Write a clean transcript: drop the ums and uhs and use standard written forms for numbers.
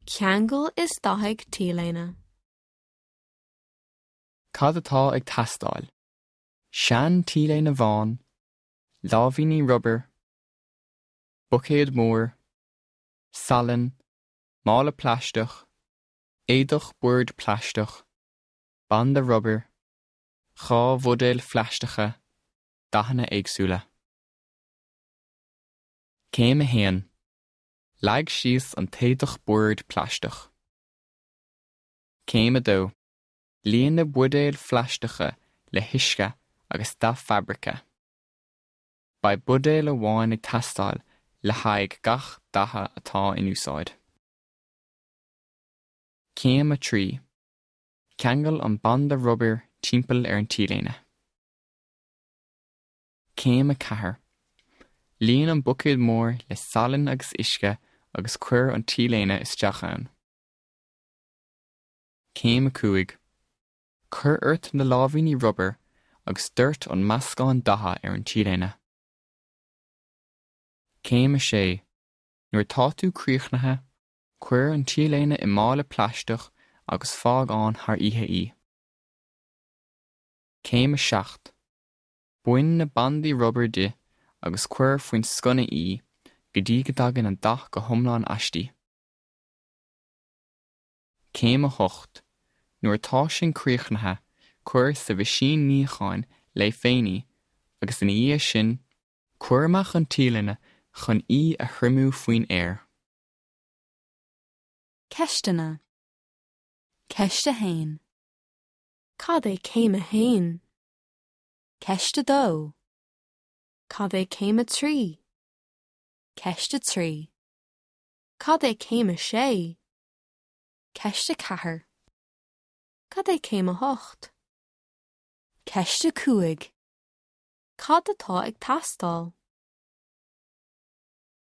Ceangail is dathaigh T-léine. Cad atá ag teastáil? Sean T-léine bhán, láimhíní rubair, buicéad mór, salann, mála plaisteach, éadach boird plaisteach, banda rubair, 2 bhuidéal phlaisteacha, dathanna éagsúla. Céim 1. Leag síos an t-éadach boird plaisteach. Céim 2. Líon na buidéil phlaisteacha le huisce agus dath fabraice. Beidh buidéal amháin ag teastáil le haghaidh gach datha atá in úsáid. Céim 3. Ceangail an banda rubair timpeall ar an T-léine. Céim 4. Líon an buicéad mór le salann agus uisce agus cuir an T-léine isteach ann. Céim 5. Cuir ort na láimhíní rubair agus doirt an meascán datha ar an T-léine. Céim 6. Nuair atá tú críochnaithe, cuir an T-léine i mála plaisteach agus fág ann thar oíche í. Céim 7. Bain na bandaí rubair di agus cuir faoin sconna í go dtí go dtagann an dath go hiomlán aisti. Céim 8. Nuair atá sin críochnaithe, cuir sa mheaisín níocháin léi féin í agus ina dhiaidh sin, cuir amach an T-léine chun í a thriomú faoin aer. Ceisteanna. Ceist 1. Cad é céim 1? Ceist 2. Cad é céim 3? Ceist 3. Cad é céim 6? Ceist 4. Cad é céim 8? Ceist 5. Cad atá ag teastáil?